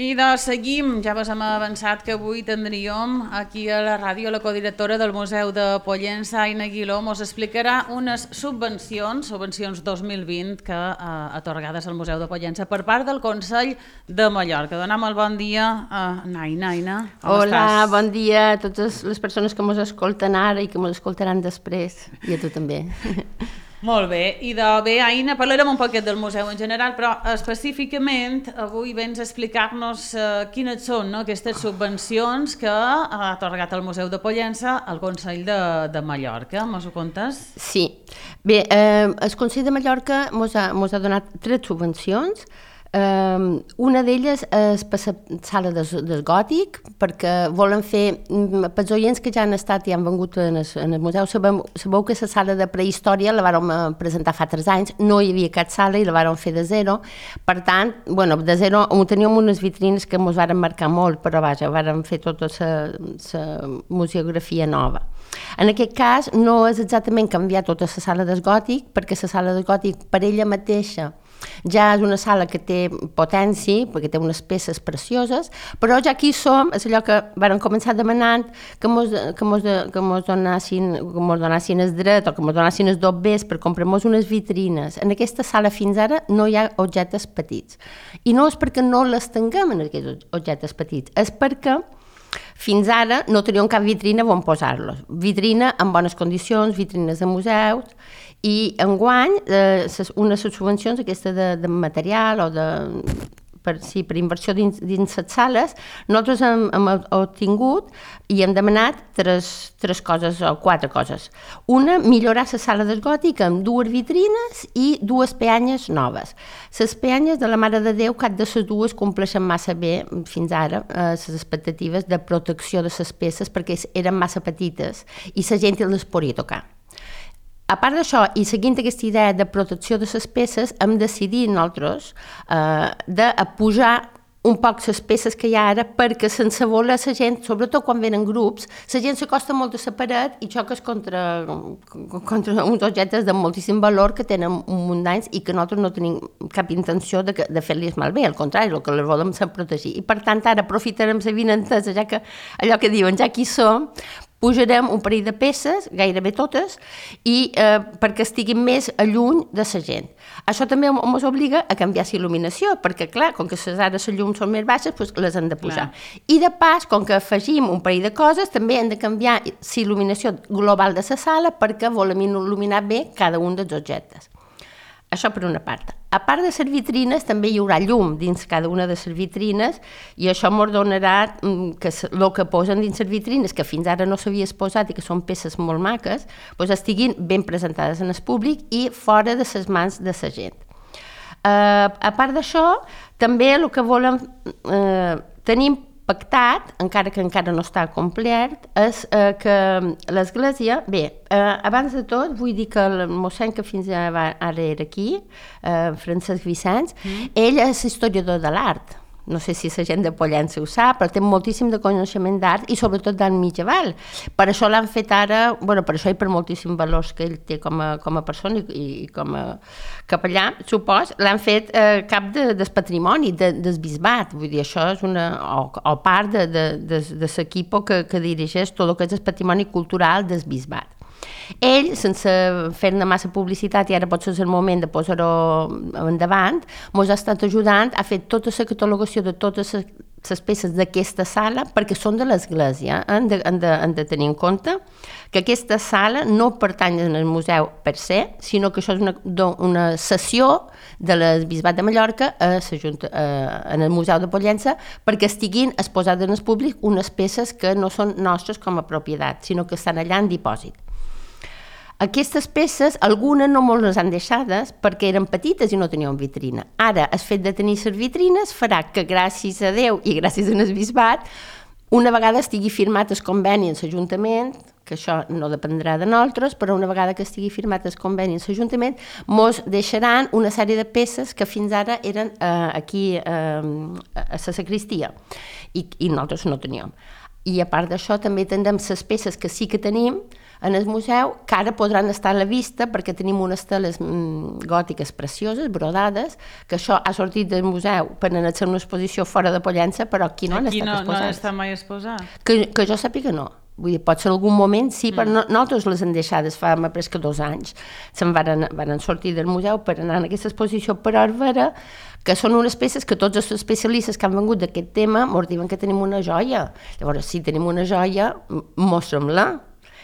I doncs seguim, ja vos hem avançat que avui tindríem aquí a la ràdio la codirectora del Museu de Pollença, Aina Aguiló, ens explicarà unes subvencions 2020 que atorgades al Museu de Pollença per part del Consell de Mallorca. Donem el bon dia a Aina. Hola, bon dia a totes les persones que ens escolten ara i que ens escoltaran després, i a tu també. Molt bé, i bé, Aina, parlarem un poquet del museu en general, però específicament avui vens a explicar-nos quines són aquestes subvencions que ha atorgat el Museu de Pollença al Consell de Mallorca. Mos ho contes? Sí. Bé, el Consell de Mallorca ens ha donat 3 subvencions. Una d'elles és per la sala del Gòtic, perquè volen fer, pels oients que ja han estat i han vengut en el museu, sabeu que la sala de prehistòria la vàrem presentar fa 3 anys, no hi havia cap sala i la vàrem fer de zero, per tant, de zero teníem unes vitrines que ens varen marcar molt, però vaja, vàrem fer tota la museografia nova. En aquest cas no és exactament canviar tota la sala del Gòtic, perquè la sala del Gòtic per ella mateixa ja és una sala que té potència, perquè té unes peces precioses, però ja aquí som, és allò que vàrem començar demanant que mos donassin el dret o que mos donassin els dobbers per comprar-nos unes vitrines. En aquesta sala fins ara no hi ha objectes petits. I no és perquè no les tinguem en aquests objectes petits, és perquè fins ara no teníem cap vitrina on posar-los. Vitrina en bones condicions, vitrines de museus, i enguany una de les subvencions aquesta de material o per inversió dins les sales, nosaltres hem obtingut i hem demanat 3 coses o 4 coses. Una, millorar la sala del Gòtic amb 2 vitrines i 2 peanyes noves. Les peanyes de la Mare de Déu, cap de les 2 compleixen massa bé fins ara les expectatives de protecció de les peces perquè eren massa petites i la gent les podia tocar. A part d'això, i seguint aquesta idea de protecció de les peces, hem decidit nosaltres de pujar un poc les peces que hi ha ara perquè sense voler la gent, sobretot quan venen grups, la gent s'acosta molt a la paret i xoques contra uns objectes de moltíssim valor que tenen un munt d'anys i que nosaltres no tenim cap intenció de fer-los malbé, al contrari, el que les volem és protegir. I per tant ara aprofitarem la vinentesa, ja que allò que diuen, ja aquí som, pujarem un parell de peces, gairebé totes, i perquè estiguin més lluny de la gent. Això també ens obliga a canviar la il·luminació, perquè clar, com que ara les llums són més baixes, doncs les hem de posar. I de pas, com que afegim un parell de coses, també hem de canviar la il·luminació global de la sala perquè volem il·luminar bé cada un dels objectes. Això per una part. A part de les vitrines, també hi haurà llum dins cada una de les vitrines i això ens donarà que el que posen dins les vitrines, que fins ara no s'havia exposat i que són peces molt maques, doncs estiguin ben presentades en el públic i fora de les mans de la gent. A part d'això, també el que volem tenim pactat, encara que encara no està complet, és que l'església... Bé, abans de tot vull dir que el mossèn que fins ara era aquí, Francesc Vicenç, ell és historiador de l'art. No sé si la gent de Pollença ho sap, però té moltíssim de coneixement d'art i sobretot d'art medieval. Per això l'han fet ara, per això i per moltíssims valors que ell té com a persona i com a capellà, supos, l'han fet cap del patrimoni del bisbat. Vull dir, això és o part de l'equip que dirigeix tot el que és el patrimoni cultural del bisbat. Ell, sense fer-ne massa publicitat, i ara potser és el moment de posar-ho endavant, ens ha estat ajudant a fer tota la catalogació de totes les peces d'aquesta sala, perquè són de l'església. Hem de tenir en compte que aquesta sala no pertany al museu per se, sinó que això és una cessió de l'Arquebisbat de Mallorca en el Museu de Pollença perquè estiguin exposades en el públic unes peces que no són nostres com a propietat, sinó que estan allà en dipòsit. Aquestes peces, algunes no molt les han deixades perquè eren petites i no tenien vitrina. Ara, el fet de tenir les vitrines farà que gràcies a Déu i gràcies al bisbat, una vegada estigui firmat el conveni en l'Ajuntament, que això no dependrà de nosaltres, però una vegada que estigui firmat el conveni en l'Ajuntament, ens deixaran una sèrie de peces que fins ara eren aquí a la sacristia i nosaltres no teníem. I a part d'això també tindrem les peces que sí que tenim, en el museu, que ara podran estar a la vista perquè tenim unes teles gòtiques precioses, brodades, que això ha sortit del museu per anar-se una exposició fora de Pollença, però aquí no han estat exposats. Aquí no han estat mai exposats? Que jo sàpiga no. Vull dir, potser en algun moment sí, però nosaltres les hem deixades fa més que 2 anys. Se'n van sortir del museu per anar en aquesta exposició, però és vera que són unes peces que tots els especialistes que han vengut d'aquest tema ens diuen que tenim una joia. Llavors, si tenim una joia, mostra'm-la,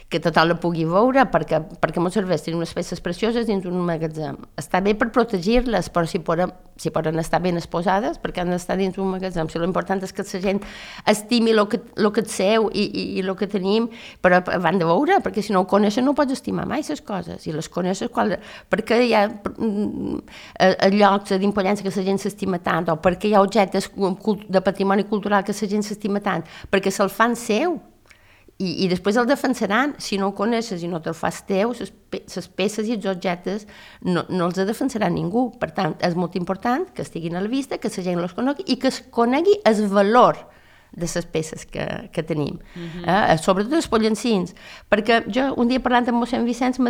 que tothom la pugui veure, perquè ens serveix tenir unes peces precioses dins un magatzem. Està bé per protegir-les, però si poden estar ben exposades, perquè han d'estar dins un magatzem. Si l'important és que la gent estimi el que és seu i el que tenim, però van de veure, perquè si no ho coneixen no pots estimar mai les coses, i les coneixes perquè hi ha llocs d'Impoliança que la gent s'estima tant, o perquè hi ha objectes de patrimoni cultural que la gent s'estima tant, perquè se'l fan seu, i després el defensaran. Si no ho coneixes i no te'l fas teu, les peces i els objectes no els defensarà ningú. Per tant, és molt important que estiguin a la vista, que la gent els conegui i que es conegui el valor de les peces que tenim. Sobretot els pollencins. Perquè jo, un dia parlant amb mossèn Vicenç,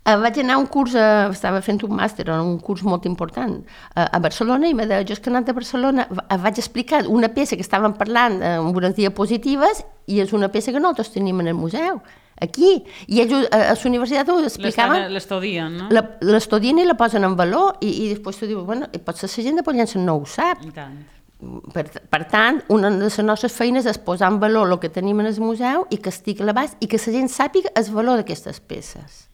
vaig anar a un curs, estava fent un màster, un curs molt important a Barcelona, i jo és que anant a Barcelona vaig explicar una peça que estàvem parlant amb unes diapositives, i és una peça que nosaltres tenim en el museu, aquí, i ells a la universitat ho explicaven. L'estudien, no? L'estudien i la posen en valor, i després tu dius, bueno, potser la gent de Pollença no ho sap. I tant. Per tant, una de les nostres feines és posar en valor el que tenim en el museu i que estigui a l'abast i que la gent sàpiga el valor d'aquestes peces.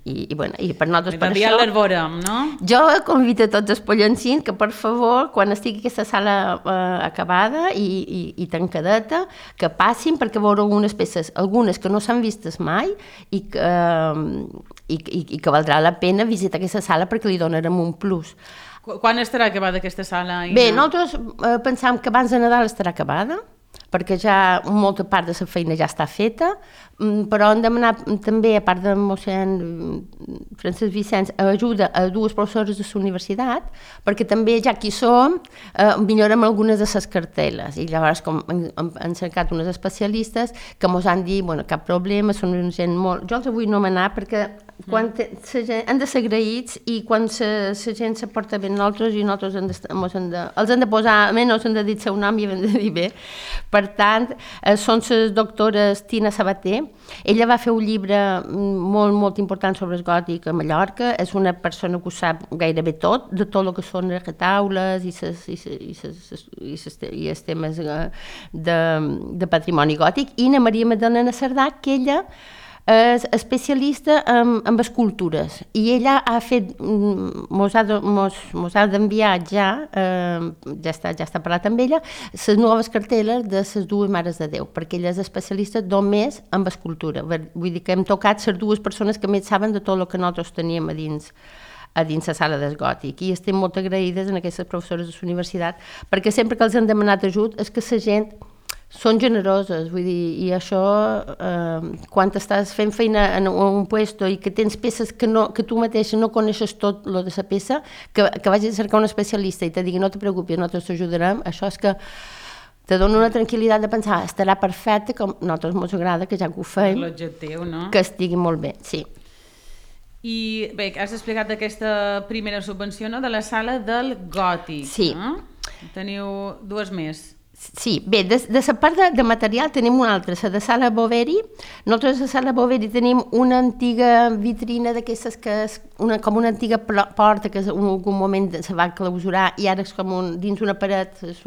I per nosaltres per això... les veurem, no? Jo convido a tots els pollencins que, per favor, quan estigui aquesta sala acabada i tancadeta, que passin perquè veureu unes peces, algunes que no s'han vistes mai i que valdrà la pena visitar aquesta sala perquè li donarem un plus. Quan estarà acabada aquesta sala? Bé, nosaltres pensam que abans de Nadal estarà acabada, perquè ja molta part de la feina ja està feta, però hem demanat també, a part de mossèn Francesc Vicenç, ajuda a 2 professores de la universitat, perquè també, ja que hi som, millorem algunes de les cartel·les, i llavors han cercat unes especialistes que ens han dit, bueno, cap problema, són una gent molt... Jo els vull nomenar perquè han de ser agraïts, i quan la gent se porta bé nosaltres, i nosaltres els hem de posar, almenys hem de dir el seu nom i hem de dir bé. Per tant, són les doctores Tina Sabater. Ella va fer un llibre molt, molt important sobre el gòtic a Mallorca. És una persona que ho sap gairebé tot, de tot el que són les retaules i els temes de patrimoni gòtic. I na Maria Magdalena Cerdà, que ella és especialista en escultures, i ella ha fet, mos ha d'enviar ja està parlat amb ella, les noves cartel·les de les 2 Mares de Déu, perquè ella és especialista només en escultura. Vull dir que hem tocat les 2 persones que més saben de tot el que nosaltres teníem a dins la sala del gòtic, i estem molt agraïdes en aquestes professores de la universitat, perquè sempre que els han demanat ajut és que la gent són generoses, vull dir, i això, quan estàs fent feina en un puesto i que tens peces que tu mateixa no coneixes tot lo de la peça, que vagis a cercar un especialista i te digui no te preocupis, nosaltres t'ajudarem, això és que te dona una tranquil·litat de pensar, estarà perfecte, com a nosaltres ens agrada, que ja que ho fem, l'objectiu, no? Que estigui molt bé, sí. I bé, has explicat aquesta primera subvenció, no?, de la sala del gòtic. Sí. No? Teniu 2 més. Sí, bé, de la part de material tenim una altra, la de Sala Boveri. Nosaltres a la Sala Boveri tenim una antiga vitrina d'aquestes que és com una antiga porta que en algun moment se va clausurar i ara és com dins una paret, és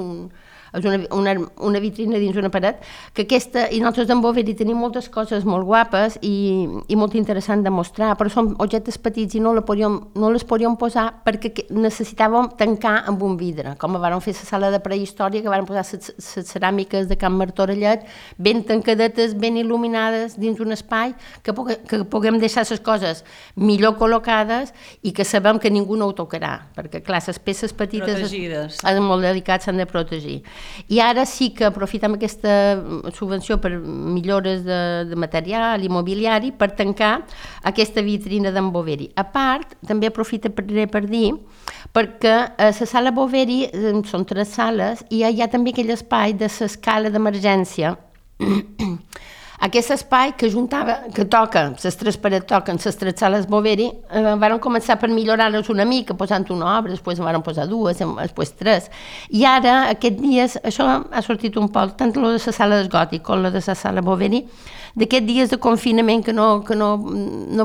una vitrina dins una paret, que aquesta, i nosaltres d'en Boveri tenim moltes coses molt guapes i molt interessant de mostrar, però són objectes petits i no les podíem posar perquè necessitàvem tancar amb un vidre, com vam fer la sala de prehistòria, que vam posar les ceràmiques de Can Martorellet ben tancadetes, ben il·luminades dins un espai, que puguem deixar les coses millor col·locades i que sabem que ningú no ho tocarà, perquè clar, les peces petites protegides, molt delicats, s'han de protegir. I ara sí que aprofitem aquesta subvenció per millores de material i mobiliari per tancar aquesta vitrina d'en Boveri. A part, també aprofito per dir, perquè a la sala Boveri són 3 sales i hi ha també aquell espai de l'escala d'emergència Aquest espai que toca, les tres parets toquen, les tres sales Boveri, van començar per millorar-les una mica, posant una obra, després van posar dues, després tres. I ara, aquests dies, això ha sortit un poc, tant la de la sala del Gòtic com la de la sala Boveri, d'aquests dies de confinament que no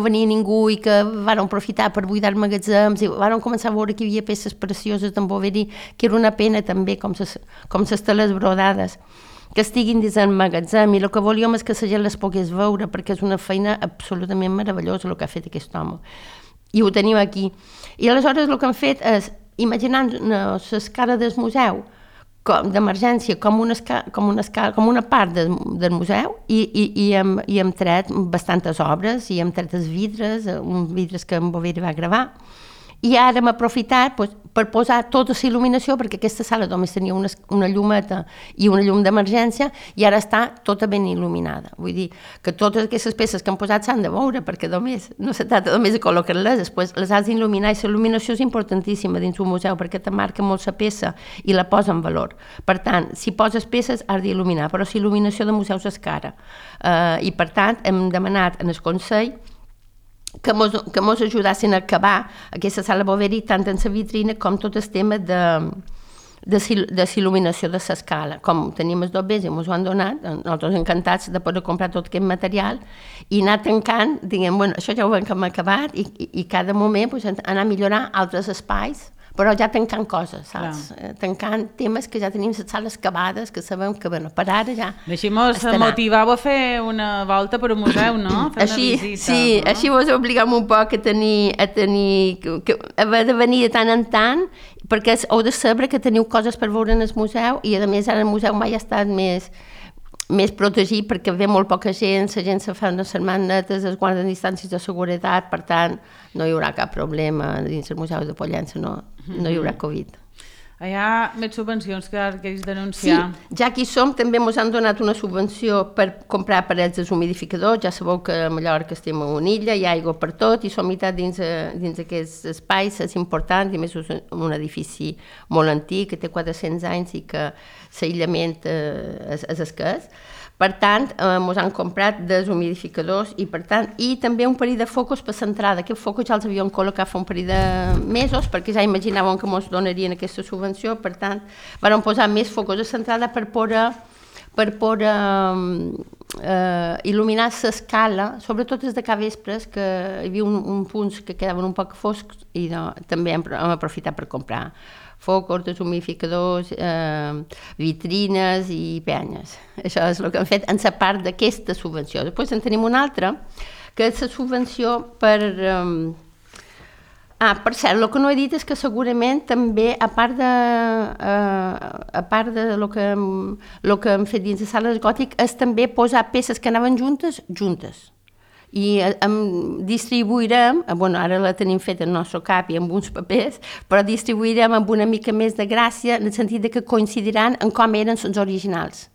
venia ningú i que van aprofitar per buidar magatzems i van començar a veure que hi havia peces precioses d'en Boveri, que era una pena també, com les teles brodades, que estiguin dins el magatzem, i el que volíem és que la gent les pogués veure, perquè és una feina absolutament meravellosa el que ha fet aquest home. I ho tenim aquí. I aleshores el que han fet és, imaginant l'escala del museu, d'emergència com una part del museu i hem tret bastantes obres i hem tret els vidres, uns vidres que en Boveri va gravar, i ara hem aprofitat per posar tota la il·luminació, perquè aquesta sala només tenia una llumeta i una llum d'emergència i ara està tota ben il·luminada. Vull dir que totes aquestes peces que han posat s'han de veure, perquè no se tracta només de col·locar-les, després les has d'il·luminar, i la il·luminació és importantíssima dins un museu perquè te marca molt la peça i la posa en valor. Per tant, si poses peces has d'il·luminar, però la il·luminació de museus és cara. I per tant hem demanat en el Consell que mos ajudassin a acabar aquesta sala Boveri tant en la vitrina com tot el tema de il·luminació de l'escala. Com tenim els dobbers i mos ho han donat, nosaltres encantats de poder comprar tot aquest material i anar tancant, diguem, bueno, això ja ho hem acabat, i cada moment anar a millorar altres espais, però ja tancant coses, saps? Tancant temes que ja tenim les sales acabades, que sabem que, bueno, per ara ja Així-mos motivau a fer una volta per un museu, no? Fer una visita. Sí, així vos obligam un poc a haver de venir de tant en tant, perquè heu de saber que teniu coses per veure en el museu, i a més ara el museu mai ha estat més protegit perquè ve molt poca gent, la gent se fa unes setmanes netes, es guarden distàncies de seguretat, per tant no hi haurà cap problema dins el Museu de Pollença, no hi haurà Covid. Hi ha més subvencions que queris denunciar. Sí, ja que hi som, també ens han donat una subvenció per comprar parets deshumidificadors. Ja sabeu que a Mallorca estem en una illa, hi ha aigua per tot, i som meitat dins aquests espais, és important, i a més és un edifici molt antic, que té 400 anys i que l'aïllament és escàs. Per tant, ens han comprat deshumidificadors i també un parell de focus per l'entrada. Aquests focus ja els havíem col·locat fa un parell de mesos perquè ja imaginàvem que ens donarien aquesta subvenció. Per tant, vam posar més focus a l'entrada per poder il·luminar l'escala, sobretot des de capvespres, que hi havia uns punts que quedaven un poc foscs, i també hem aprofitat per comprar focus, deshumidificadors, vitrines i penyes. Això és el que hem fet en la part d'aquesta subvenció. Després en tenim una altra, que és la subvenció per... per cert, el que no he dit és que segurament també, a part de lo que hem fet dins de sales Gòtic, és també posar peces que anaven juntes. I distribuirem, ara la tenim feta en el nostre cap i amb uns papers, però distribuirem amb una mica més de gràcia, en el sentit que coincidiran en com eren els originals.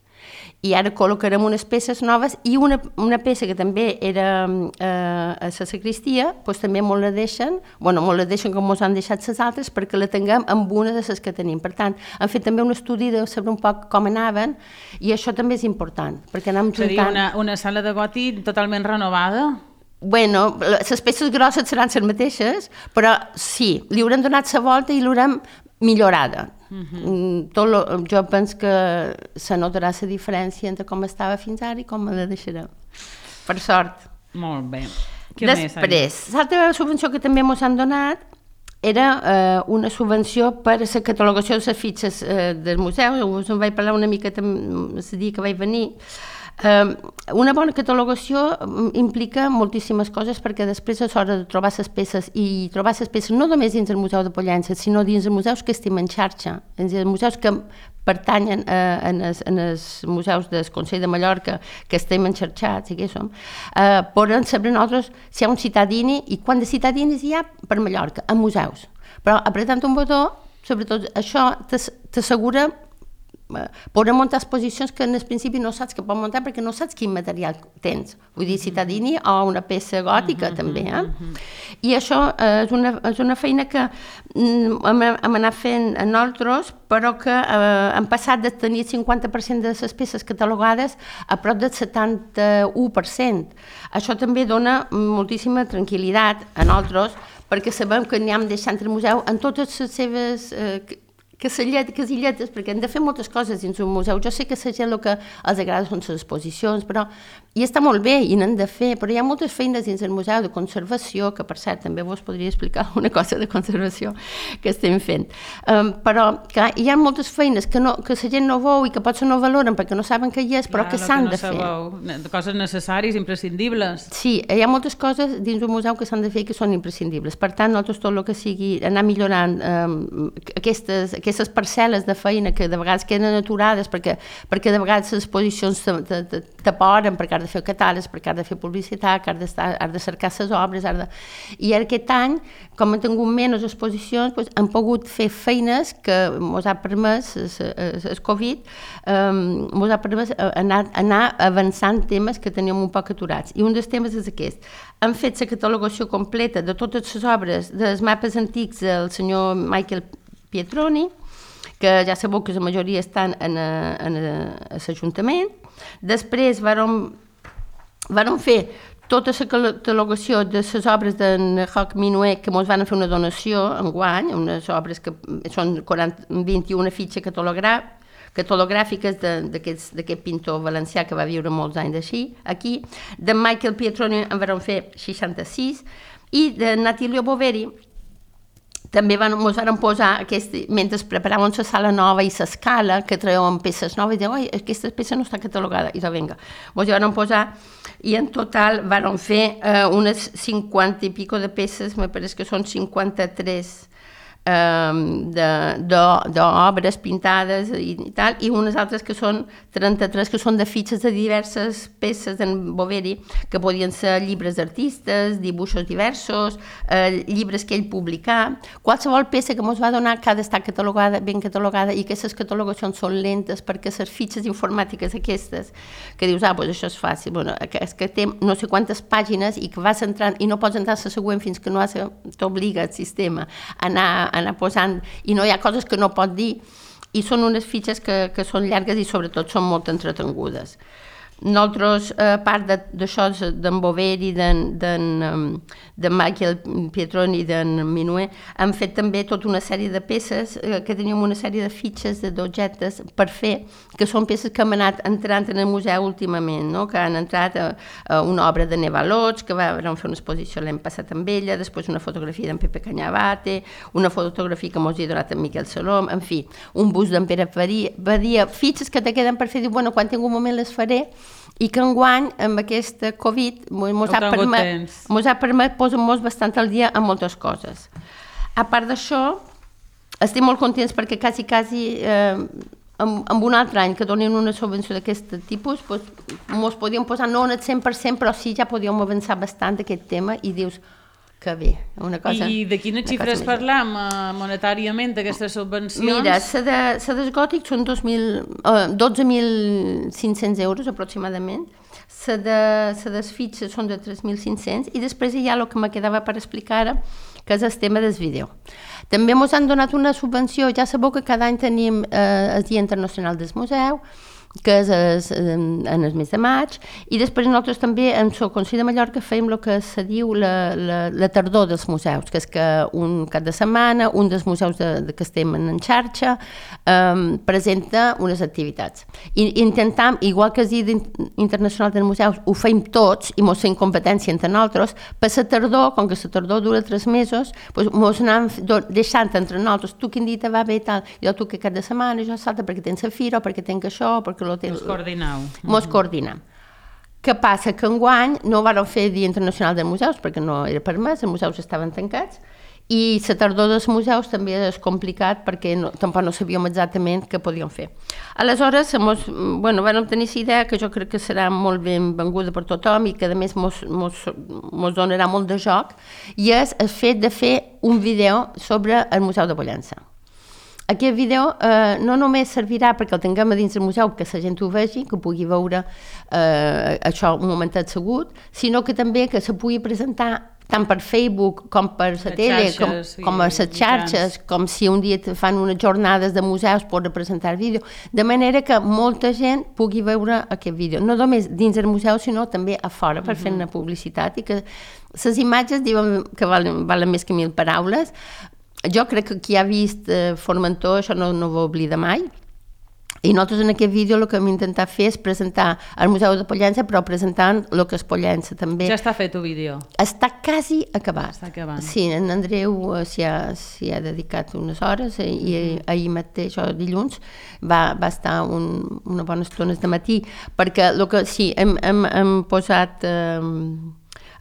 I ara col·locarem unes peces noves, i una peça que també era a la sagristia, doncs també molt la deixen com ens han deixat les altres, perquè la tinguem amb una de les que tenim. Per tant, hem fet també un estudi de saber un poc com anaven, i això també és important, perquè anem juntant... Seria una sala de Gòtic totalment renovada? Bueno, les peces grosses seran les mateixes, però sí, li haurem donat la volta i l'haurem millorada. Jo penso que se notarà la diferència entre com estava fins ara i com la deixarem. Per sort. Molt bé. Després, l'altra subvenció que també ens han donat era una subvenció per a la catalogació de les fitxes del museu. Us en vaig parlar una mica el dia que vaig venir. Una bona catalogació implica moltíssimes coses, perquè després és hora de trobar les peces, i trobar les peces no només dins el Museu de Pollença, sinó dins els museus que estem en xarxa, dins els museus que pertanyen en els museus del Consell de Mallorca, que estem enxarxats, i que som, poden saber nosaltres si hi ha un cittadini i quant de cittadinis hi ha per Mallorca, en museus. Però apretant un botó, sobretot això t'assegura poder muntar exposicions que en el principi no saps que pots muntar, perquè no saps quin material tens. Vull dir, cittadini o una peça gòtica també. I això és una feina que hem anat fent a nosaltres, però que hem passat de tenir el 50% de les peces catalogades a prop del 71%. Això també dona moltíssima tranquil·litat a nosaltres, perquè sabem que n'hi hem deixat el museu en totes les seves casilletes, perquè hem de fer moltes coses dins un museu. Jo sé que la gent el que els agrada són les exposicions, però i està molt bé, i n'hem de fer, però hi ha moltes feines dins el museu de conservació, que per cert també vos podria explicar una cosa de conservació que estem fent. Però clar, hi ha moltes feines que la gent no veu i que potser no valoren perquè no saben què hi és, però que s'han de fer. Coses necessàries, imprescindibles. Sí, hi ha moltes coses dins un museu que s'han de fer i que són imprescindibles. Per tant, nosaltres tot el que sigui anar millorant aquestes parcel·les de feina que de vegades queden aturades perquè de vegades les exposicions t'aporen perquè has de fer catàlegs, perquè has de fer publicitat, que has de cercar les obres, i aquest any, com hem tingut menys exposicions, hem pogut fer feines que ens ha permès el Covid, ens ha permès anar avançant temes que teníem un poc aturats. I un dels temes és aquest. Hem fet la catalogació completa de totes les obres dels mapes antics del senyor Michael Pietroni, que ja sabeu que la majoria estan en l'Ajuntament. Després vàrem fer tota la catalogació de les obres d'en Roc Minuet, que ens van fer una donació enguany, unes obres que són 21 fitxes catalogràfiques d'aquest pintor valencià que va viure molts anys aquí. De Michael Pietroni en vàrem fer 66, i de Natilio Boveri també ens van posar, mentre preparàvem la sala nova i l'escala, que traiem peces noves, i diuen, oi, aquesta peça no està catalogada, i vinga, ens van posar, i en total van fer unes 50 i pico de peces, me pareix que són 53 d'obres pintades i tal, i unes altres que són 33, que són de fitxes de diverses peces d'en Boveri, que podien ser llibres d'artistes, dibuixos diversos, llibres que ell publicà. Qualsevol peça que ens va donar que ha d'estar catalogada, ben catalogada, i aquestes catalogacions són lentes perquè les fitxes informàtiques aquestes, que dius, doncs això és fàcil, és que té no sé quantes pàgines i que vas entrant i no pots entrar a la següent fins que no t'obliga el sistema a anar posant, i no hi ha coses que no pot dir, i són unes fitxes que són llargues i sobretot són molt entretengudes. Nosaltres, a part d'això d'en Boveri, de Michael Pietroni i d'en Minuet, hem fet també tota una sèrie de peces, que teníem una sèrie de fitxes, d'objectes per fer, que són peces que hem anat entrant en el museu últimament, que han entrat a una obra de Neva Lots, que vam fer una exposició l'any passat amb ella, després una fotografia d'en Pepe Cañabate, una fotografia que mos hi ha donat en Miquel Salom, en fi, un bust d'en Pere Badia, fitxes que te queden per fer, diu, quan tinc un moment les faré, i que enguany, amb aquesta Covid, ens ha permès posar-nos bastant al dia en moltes coses. A part d'això, estem molt contents perquè quasi en un altre any que donin una subvenció d'aquest tipus, ens podíem posar no en el 100%, però sí ja podíem avançar bastant d'aquest tema, i dius que bé, una cosa... I de quines xifres parlam monetàriament d'aquestes subvencions? Mira, la dels gòtics són 12.500 euros aproximadament, la dels fitxes són de 3.500, i després hi ha el que me quedava per explicar ara, que és el tema del vídeo. També ens han donat una subvenció, ja sabeu que cada any tenim el Dia Internacional del Museu, que és en el mes de maig, i després nosaltres també en el Consell de Mallorca fèiem el que se diu la tardor dels museus, que és que un cap de setmana un dels museus que estem en xarxa presenta unes activitats. I intentem, igual que el Dia Internacional dels Museus, ho fem tots i ens fem competència entre nosaltres, per la tardor, com que la tardor dura 3 mesos, ens anem deixant entre nosaltres, tu quin dia te va bé i tal, jo tu que cap de setmana, jo salta perquè tens la fira, o perquè tenc això, perquè Mos coordineu. Mos coordinem. Què passa? Que enguany no vàrem fer Dia Internacional dels Museus perquè no era permès, els museus estaven tancats, i la tardor dels museus també és complicat perquè tampoc no sabíem exactament què podíem fer. Aleshores, vam tenir la idea, que jo crec que serà molt benvinguda per tothom i que a més mos donarà molt de joc, i és el fet de fer un vídeo sobre el Museu de Pollença. Aquest vídeo no només servirà perquè el tinguem a dins del museu, que la gent ho vegi, que pugui veure això un momentet segut, sinó que també que se pugui presentar tant per Facebook com per la tele, com a les xarxes, com si un dia fan unes jornades de museus per representar vídeo, de manera que molta gent pugui veure aquest vídeo, no només dins el museu, sinó també a fora, per fer una publicitat, i que les imatges diuen que valen més que 1000 paraules. Jo crec que qui ha vist Formentor això no ho oblida mai. I nosaltres en aquest vídeo el que hem intentat fer és presentar el Museu de Pollença, però presentant el que és Pollença també. Ja està fet el vídeo? Està quasi acabat. Està acabant. Sí, en Andreu s'hi ha dedicat unes hores i ahir mateix, o dilluns, va estar una bona estona de matí, perquè sí, hem posat...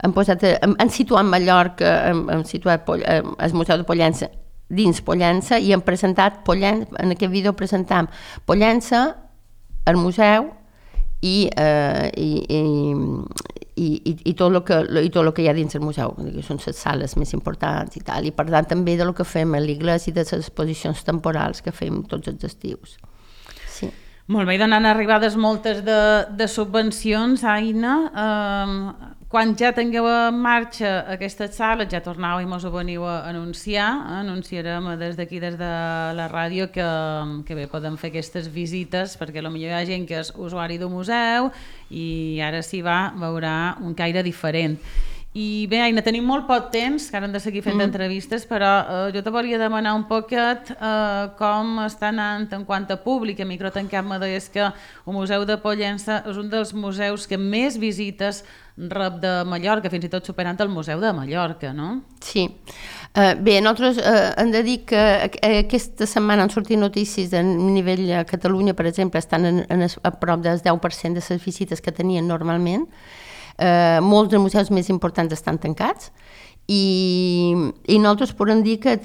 hem situat Mallorca, hem situat el Museu de Pollença dins Pollença i hem presentat en aquest vídeo presentam Pollença, el museu i tot el que hi ha dins el museu, que són les sales més importants i tal, i per tant també del que fem a l'Igles i de les exposicions temporals que fem tots els estius. Sí. Molt bé, i donant arribades moltes de subvencions, Aina, quan ja tingueu en marxa aquestes sales, ja tornau i mos ho veniu a anunciar, anunciarem des d'aquí, des de la ràdio, que bé, podem fer aquestes visites, perquè potser hi ha gent que és usuari d'un museu i ara s'hi va, veurà un caire diferent. I bé, Aina, tenim molt poc temps, que ara hem de seguir fent entrevistes, però jo te volia demanar un poquet com està anant en quant a públic. A Microtancat me deies que el Museu de Pollença és un dels museus que més visites rep de Mallorca, fins i tot superant el Museu de Mallorca, no? Sí. Bé, nosaltres hem de dir que aquesta setmana han sortit notícies a nivell a Catalunya, per exemple, estan a prop del 10% de les visites que tenien normalment. Molts dels museus més importants estan tancats i nosaltres podem dir que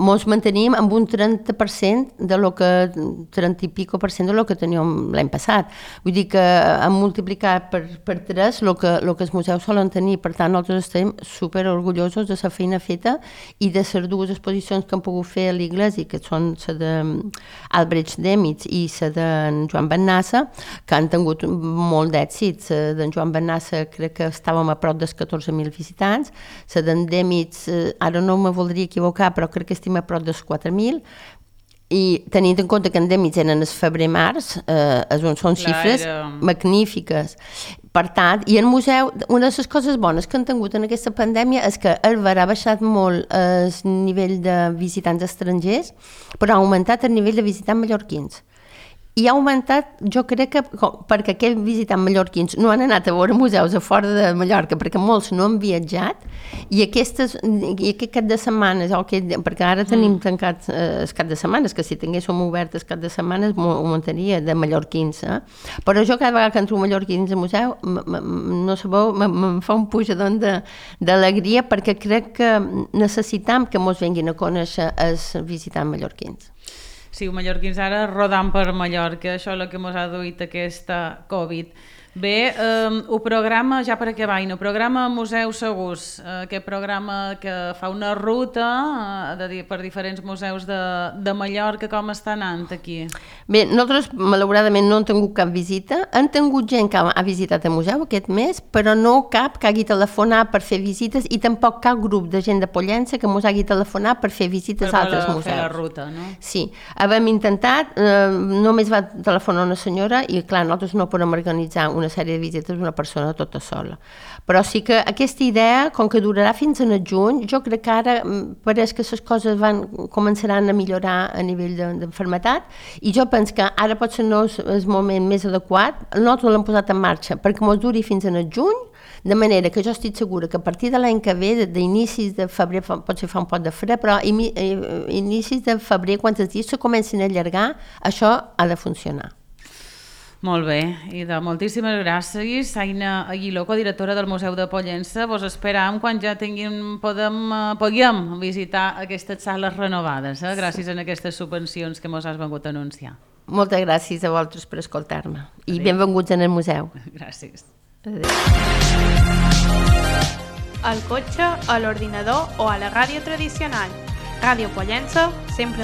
ens mantenim amb un 30% de lo que 30 i pico % de lo que teníem l'any passat. Vull dir que hem multiplicat per 3 el que els museus solen tenir. Per tant, nosaltres estem super orgullosos de la feina feta i de les dues exposicions que hem pogut fer a l'Igles, que són la d'Albrecht Demitz i la d'en Joan Bennassa, que han tingut molt d'èxit. La d'en Joan Bennassa crec que estàvem a prop dels 14.000 visitants, la d'en Demitz, ara no me voldria equivocar, però crec que estem a prop dels 4.000, i tenint en compte que en Demitz eren el febrer-març, són xifres magnífiques. Per tant, i el museu, una de les coses bones que han tingut en aquesta pandèmia és que ha baixat molt el nivell de visitants estrangers, però ha augmentat el nivell de visitants mallorquins. I ha augmentat, jo crec que perquè aquests visitants mallorquins no han anat a veure museus a fora de Mallorca, perquè molts no han viatjat, i aquest cap de setmanes, perquè ara tenim tancat el cap de setmanes, que si tinguéssim obert el cap de setmanes ho mantenia de mallorquins. Però jo cada vegada que entro mallorquins al museu, no sabeu, em fa un pujadon d'alegria, perquè crec que necessitam que ens venguin a conèixer els visitants mallorquins. Sí, mallorquins ara rodant per Mallorca, això és el que ens ha duit aquesta Covid. Bé, el programa, ja per acabar, el programa Museus Segurs, aquest programa que fa una ruta per diferents museus de Mallorca, com està anant aquí? Bé, nosaltres malauradament no hem tingut cap visita, hem tingut gent que ha visitat el museu aquest mes, però no cap que hagi telefonat per fer visites i tampoc cap grup de gent de Pollença que ens hagi telefonat per fer visites a altres museus. Per fer la ruta, no? Sí, havíem intentat, només va telefonar una senyora i clar, nosaltres no podem organitzar una sèrie de visites d'una persona tota sola. Però sí que aquesta idea, com que durarà fins en el juny, jo crec que ara pareix que les coses començaran a millorar a nivell d'enfermetat i jo penso que ara potser no és el moment més adequat. Nosaltres l'hem posat en marxa perquè ens duri fins en el juny, de manera que jo estic segura que a partir de l'any que ve, d'inicis de febrer, potser fa un poc de fred, però inicis de febrer, quan els dies se comencin a allargar, això ha de funcionar. Molt bé, i moltíssimes gràcies, Aina Aguiló, codirectora del Museu de Pollença. Vos esperam quan ja puguem visitar aquestes sales renovades, gràcies a aquestes subvencions que mos has vengut a anunciar. Moltes gràcies a vosaltres per escoltar-me i benvinguts en el museu. Gràcies. Adéu. Al cotxe, a l'ordinador o a la ràdio tradicional. Ràdio Pollença, sempre